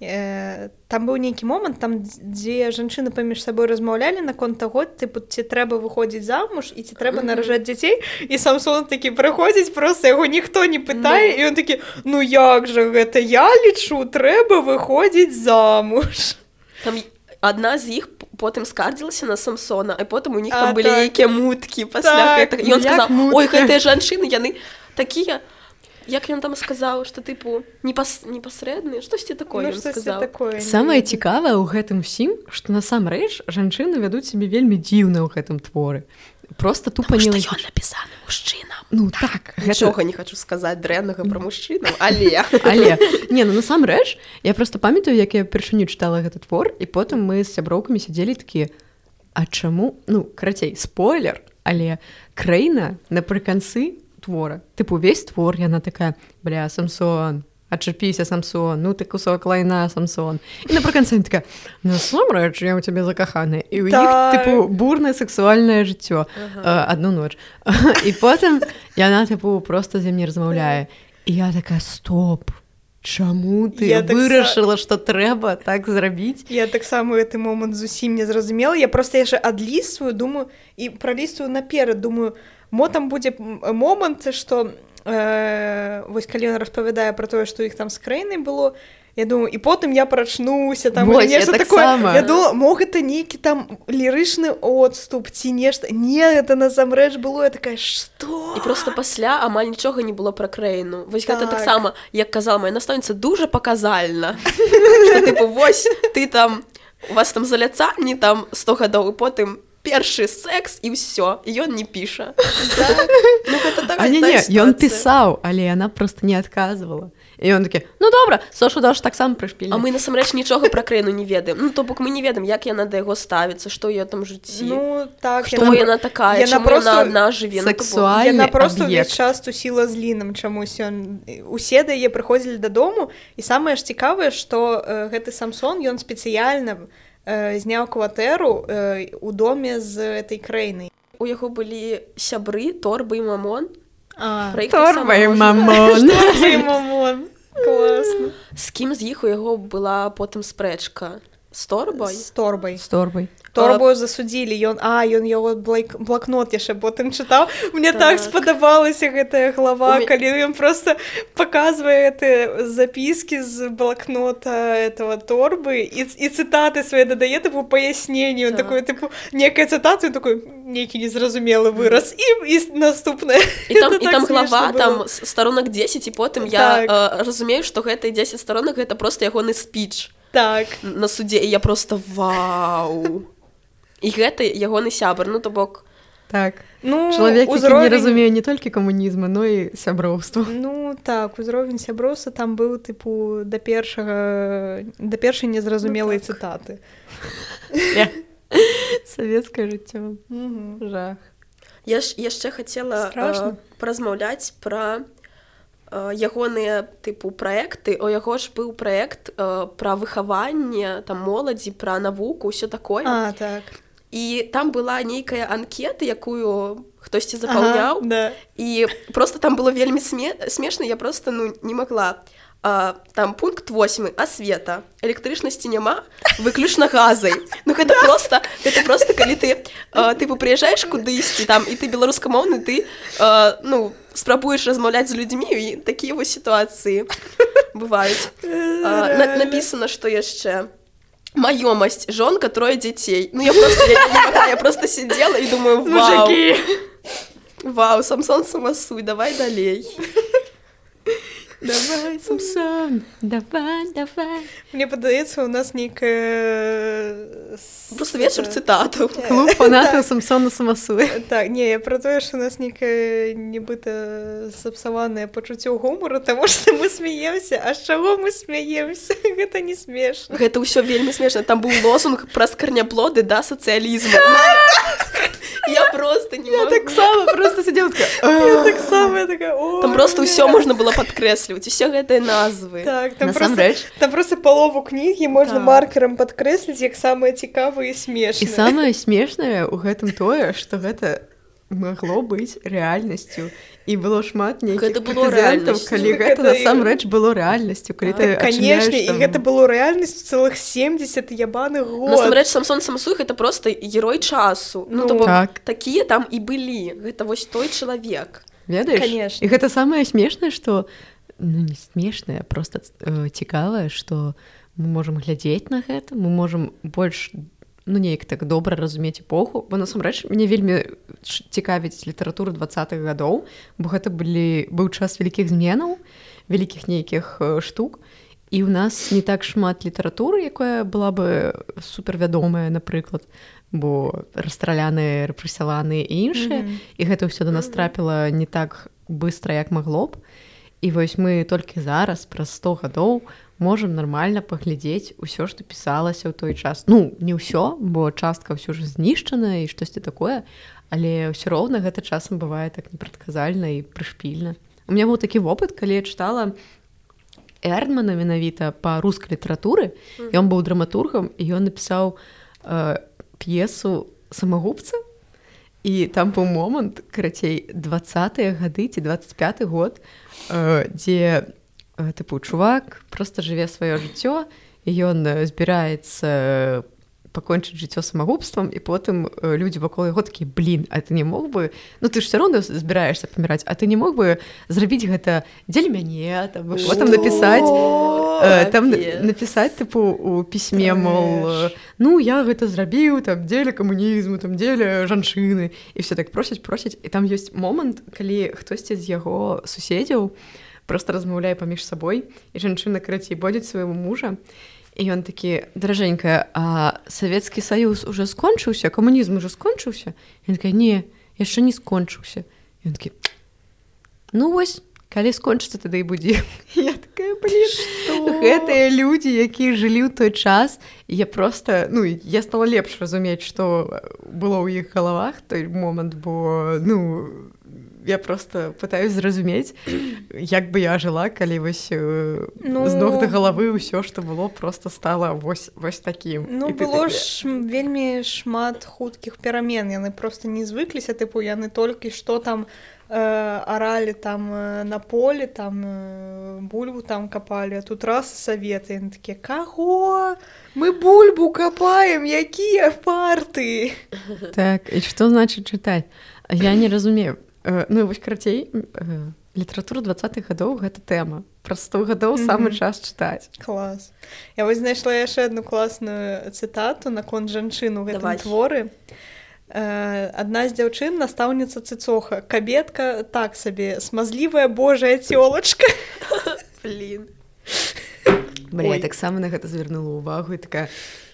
там быў нейкі момант, там дзе жанчыны паміж сабой размаўлялі наконт таго, тыпу, ці трэба выходзіць замуж і ці трэба наражаць дзяцей, і Самсон такі прыходзіць, проста яго ніхто не пытае, і ён такі, ну як жа гэта, я лічу, трэба выходзіць замуж. Там адна з іх потым скардзілася на Самсона, а потым у них там а, былі так. нейкія муткі пасля гэтага. І ён сказаў, ой, гэтыя жанчыны, яны такія... Як ён там сказаў, што тыпу непас... непасрэдныя, штосьці такое, ну, ён сказаў. Самае цікавае ў гэтым усім, што насамрэч жанчыны вядуць сябе вельмі дзіўна ў гэтым творы. Просто тупа не... Таму што ён напісаны мужчынам. Ну так. Нічога гэта... не хачу сказаць дрэннага пра мужчынаў, але... Але, не, ну насамрэч, я проста памятаю, як я першыню чытала гэты твор, і потым мы з сяброўкамі сядзелі такія, а чаму... Ну, карацей, спойлер, але Крэйна напрыканцы твора. Тыпу, увесь твор, яна такая, бля, Самсон, адчапіся, Самсон, ну ты кусок лайна, Самсон. І напрыканцы яна такая, насамрэч, я ў цябе закаханая. І ў іх, тыпу, бурнае сексуальнае жыццё. Ага. Адну ноч. І потым яна, тыпу, проста з ім не размаўляе. І я такая, стоп, чаму ты я вырашыла, так... што трэба так зрабіць? Я таксама гэты момант зусім не зразумела. Я проста яшчэ адлістваю, думаю, і пралістваю наперад, думаю, мо там будзе момант, што э, вось калі ён распавядае пра тое, што іх там з краінай было, я думаю, і потым я прачнуся, там вось, нешта так такое. Сама. Я думала, мог гэта нейкі там лірычны отступ ці нешта. Не, гэта насамрэч было, я такая, што? І просто пасля амаль нічога не было пра краіну. Вось так. Гэта таксама, як казала моя настаўніца, дужа паказальна. Што тыпу, вось, ты там, у вас там заляцанні там сто гадоў, і потым першы секс, і ўсё, і ён не піша. Ну, гэта такая сітуацыя. Ён пісаў, але яна проста не адказвала. І ён такі, ну добра, Сошу даш таксама прышпільна. А мы насамрэч нічога пра краіну не ведаем. Ну, то бок мы не ведаем, як яна да яго ставіцца, што ў ёй там жыцці. Ну, так. Што яна, яна такая, яна чаму яна адна жыве. Сексуальны яна проста аб'ект. ўвесь час тусіла з Лінам чамусь. Ён... Усе да яе прыходзілі дадому, і самае ж цікавае, што э, гэты Самсон, ён спецыяльна э, зняў кватэру э, у доме з этой краінай. У яго былі сябры, Торба і Мамон. А, Торба і Мамон. Торба і Мамон. Класна. З кім з іх у яго была потым спрэчка? З Торбай? З Торбай. З Торбай. Торбу засудзілі, ён, а, ён яго блакнот яшчэ потым чытаў. Мне так, так спадабалася гэтая глава, У калі ён просто паказвае гэты запіскі з блакнота этого Торбы і, і цытаты свае дадае, тыпу, паясненне. Он так. такой, тыпу, некая цытата, ён такой, нейкі незразумелы выраз. Mm. І, і наступнае. І там, і так там глава, там старонак дзесяць, і потым так. я э, разумею, што гэтыя дзесяць старонак гэта просто ягоны спіч. Так. На судзе, і я просто вау. І гэта ягоны сябар, ну то бок. Так. Ну, чалавек, узровень... які не разумее не толькі камунізма, но і сяброўства. Ну так, узровень сяброўства там быў тыпу да першага да першай незразумелай ну, так. цытаты. Савецкае жыццё. Угу. Жах. Я ж яшчэ хацела э, паразмаўляць пра э, ягоныя тыпу праекты. У яго ж быў праект э, пра выхаванне там моладзі, пра навуку, ўсё такое. А, так. І там была нейкая анкета, якую хтосьці запаўняў. Ага, да. І просто там было вельмі сме... смешна, я просто ну, не магла. А, там пункт восьмы, асвета. Электрычнасці няма, выключна газай. Ну гэта просто, гэта просто калі ты а, тыпу прыязджаеш кудысьці там, і ты беларускамоўны, ты а, ну, спрабуеш размаўляць з людзьмі, і такія вось сітуацыі бываюць. А, на, напісана, што яшчэ маёмасць, жонка, трое дзяцей. Ну я просто, я, я, я, я просто сидела і думаю, вау. Мужики. Вау, Самсон самасуй, давай далей. Давай, Самсон, давай, давай. Мне падаецца, у нас нейкая... Просто вечар цытатаў. Клуб фанатаў Самсона самасуй. Так, не, я пра тое, што у нас нейкае нібыта сапсаванае пачуццё гумару, таму што мы смеемся. А з чаго мы смеемся? Гэта не смешна. Гэта ўсё вельмі смешна. Там быў лозунг праз карняплоды да сацыялізму. Я просто не могу. Я так само просто сидела такая. Я так само, я такая, о. Там просто ўсё можна было падкрэсліваць, усе гэтыя назвы. Так, там просто, там просто палову кнігі можна так. маркерам падкрэсліць, як самае цікавае і смешнае. І самае смешнае ў гэтым тое, што гэта магло быць рэальнасцю. І было шмат нейкіх прэцэдэнтаў, калі гэта насамрэч было рэальнасцю, калі ты канешне, і гэта было рэальнасцю цэлых семьдесят ябаных год. Насамрэч, Самсон самасуй гэта просто герой часу. Ну, то бок, так. такія там і былі. Гэта вось той чалавек. Ведаеш? Канешне. І гэта самае смешнае, што, ну, не смешнае, просто э, цікавае, што мы можам глядзець на гэта, мы можам больш ну, неяк так добра разумець эпоху, бо насамрэч мне вельмі цікавіць літаратуру двадцатых гадоў, бо гэта былі, быў час вялікіх зменаў, вялікіх нейкіх штук, і ў нас не так шмат літаратуры, якая была бы супервядомая, напрыклад, бо расстраляныя, рэпрэсаваныя і іншыя, mm-hmm. і гэта ўсё да нас трапіла не так быстра, як магло б. І вось мы толькі зараз, праз сто гадоў, можам нармальна паглядзець усё, што пісалася ў той час. Ну, не ўсё, бо частка ўсё ж знішчана і штосьці такое, але ўсё роўна гэта часам бывае так непрадказальна і прышпільна. У меня быў такі вопыт, калі я чытала Эрдмана менавіта па рускай літаратуры, mm-hmm. ён быў драматургам, і ён напісаў э, п'есу «Самагубца», і там быў момант, карацей, двадцатыя гады ці двадцать пяты год, э, дзе э, тыпу чувак проста жыве сваё жыццё, і ён збіраецца пакончыць жыццё самагубствам, і потым э, людзі вакол яго такі, блин, а ты не мог бы, ну ты ж все роўна збіраешся паміраць, а ты не мог бы зрабіць гэта дзеля мяне, там, потым напісаць э, там напісаць тыпу у пісьме, мол, ну я гэта зрабіў там дзеля камунізму, там дзеля жанчыны, і все так просяць просяць, і там ёсць момант, калі хтосьці з яго суседзяў просто размаўляе паміж сабой, і жанчына, карацей, бодзіць свайго мужа. І ён такі, даражэнькая, а Савецкі Саюз уже скончыўся, камунізм уже скончыўся? Ён такая, не, яшчэ не скончыўся. Ён такі, ну вось, калі скончыцца, тады і будзе. Я такая, блин, гэтыя людзі, якія жылі ў той час, і я просто, ну, я стала лепш разумець, што было ў іх галавах той момант, бо, ну, я просто пытаюсь зразумець, як бы я жыла, калі вось ну, з ног да галавы ўсё, што было, просто стала вось, вось такім. Ну, было ж вельмі шмат хуткіх перамен, яны просто не звыкліся, тыпу, яны толькі што там э, аралі там э, на полі, там э, бульбу там капалі, а тут раз саветы, яны такія, каго? Мы бульбу капаем, якія парты? Так, і што значыць чытаць? Я не разумею. Ну, вось, карацей, літаратура двадцатых гадоў — гэта тэма. Праз сто гадоў mm-hmm. самы час чытаць. Клас. Я вось знайшла яшчэ адну класную цытату наконт жанчын у гэтым Давай. Творы. Адна з дзяўчын — настаўніца Цыцоха. Кабетка так сабе, смазлівая божая цёлачка. Блін. Бля, я таксама на гэта звярнула ўвагу і такая...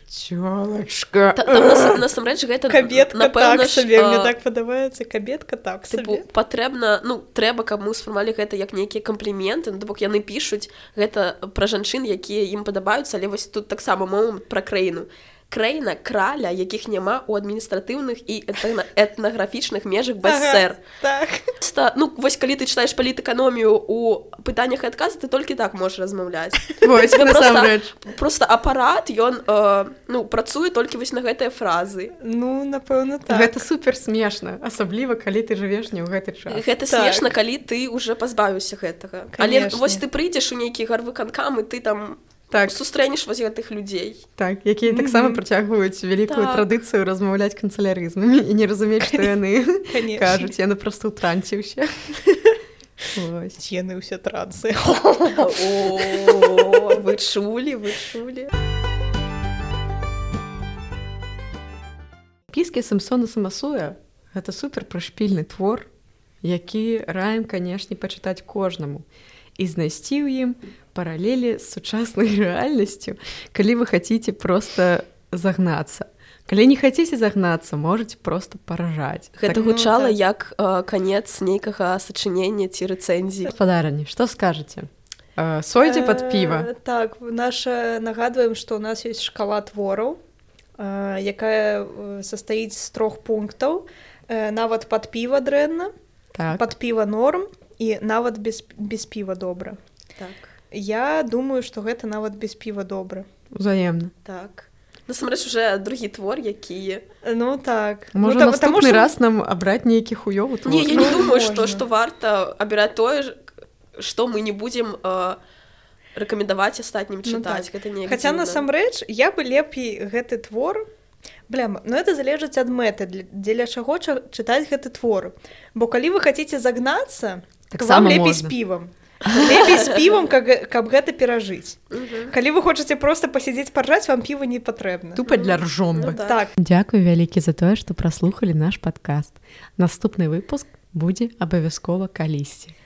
Цёлачка. Там насамрэч гэта кабетка напэўна, так сабе, а... мне так падабаецца, кабетка так сабе. Патрэбна, ну, трэба, каб мы ўспрымалі гэта як нейкія кампліменты, ну, то бок яны пішуць гэта пра жанчын, якія ім падабаюцца, але вось тут таксама момант пра краіну. Краіна краля, якіх няма ў адміністратыўных і этнаграфічных межах без сэр. Так. Ста, ну, вось калі ты чытаеш палітэканомію ў пытаннях і адказах, ты толькі так можаш размаўляць. Вось, насамрэч. Просто апарат, ён, э, ну, працуе толькі вось на гэтыя фразы. Ну, напэўна, так. Гэта супер смешна, асабліва, калі ты жывеш не ў гэты час. Гэта так. Смешна, калі ты уже пазбавіўся гэтага. Конечно. Але вось ты прыйдзеш у нейкі гарвыканкам, і ты там... Так. Сустрэнеш вось гэтых людзей. Так, якія mm-hmm. таксама працягваюць вялікую так. традыцыю размаўляць канцылярызмамі і не разумець, што яны кажуць. Яны проста ў трансе ўсе. Яны ўсе трансы. О, вы чулі, вы чулі. Піскі Самсона Самасуя — гэта супер прышпільны твор, які раім, канешне, пачытаць кожнаму і знайсці ў ім паралелі з сучаснай рэальнасцю, калі вы хаціце проста загнацца. Калі не хаціце загнацца, можаце проста паражаць. Гэта так, гучала ну, так. як э, канец нейкага сачынення ці рэцэнзіі. Гаспадарыні, што скажаце? Э, сойдзе пад піва? Э, так, наша нагадваем, што ў нас ёсць шкала твораў, э, якая састаіць з трох пунктаў. Э, нават пад піва дрэнна, так. пад піва норм і нават без, без піва добра. Так. Я думаю, што гэта нават без піва добра. Узаемна. Так. Насамрэч уже другі твор, які... Ну так. Можа ну, наступны что... раз нам абраць нейкі хуёвы твор? Не, я не думаю, што, што варта абіраць тое, што мы не будзем э, рэкамендаваць астатнім чытаць. Ну, так. Гэта Хаця насамрэч, я бы лепей гэты твор... Бляма, ну это залежыць ад мэты, дзеля чаго чытаць гэты твор. Бо калі вы хаціце загнацца, так то вам лепей можна. З півам. Лепей з півам, каб, каб гэта перажыць. Uh-huh. Калі вы хочаце проста пасядзець паржаць, вам піва не патрэбна. Тупа для ржомбы. Ну, так. Дзякуй вялікі за тое, што праслухалі наш падкаст. Наступны выпуск будзе абавязкова калісьці.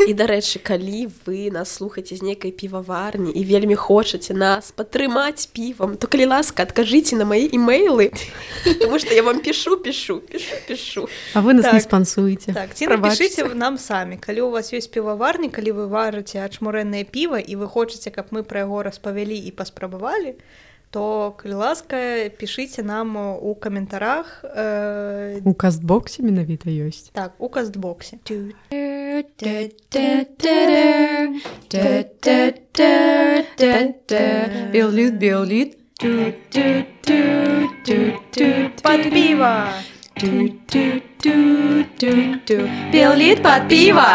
І, дарэчы, калі вы нас слухаеце з нейкай піваварні і вельмі хочаце нас падтрымаць півам, то, калі ласка, адкажыце на мае имейлы, тому што я вам пішу, пішу, пішу, пішу. А вы нас так. не спансуеце. Так, ці напішыце нам самі. Калі у вас ёсць піваварні, калі вы варыце ачмурэнае піва і вы хочаце, каб мы пра яго распавялі і паспрабавалі, то, калі ласка, пішыце нам у каментарах. Э... У кастбоксе менавіта ёсць. Так, у кастбоксе. Беллит, беллит. Под пиво! Беллит под пиво!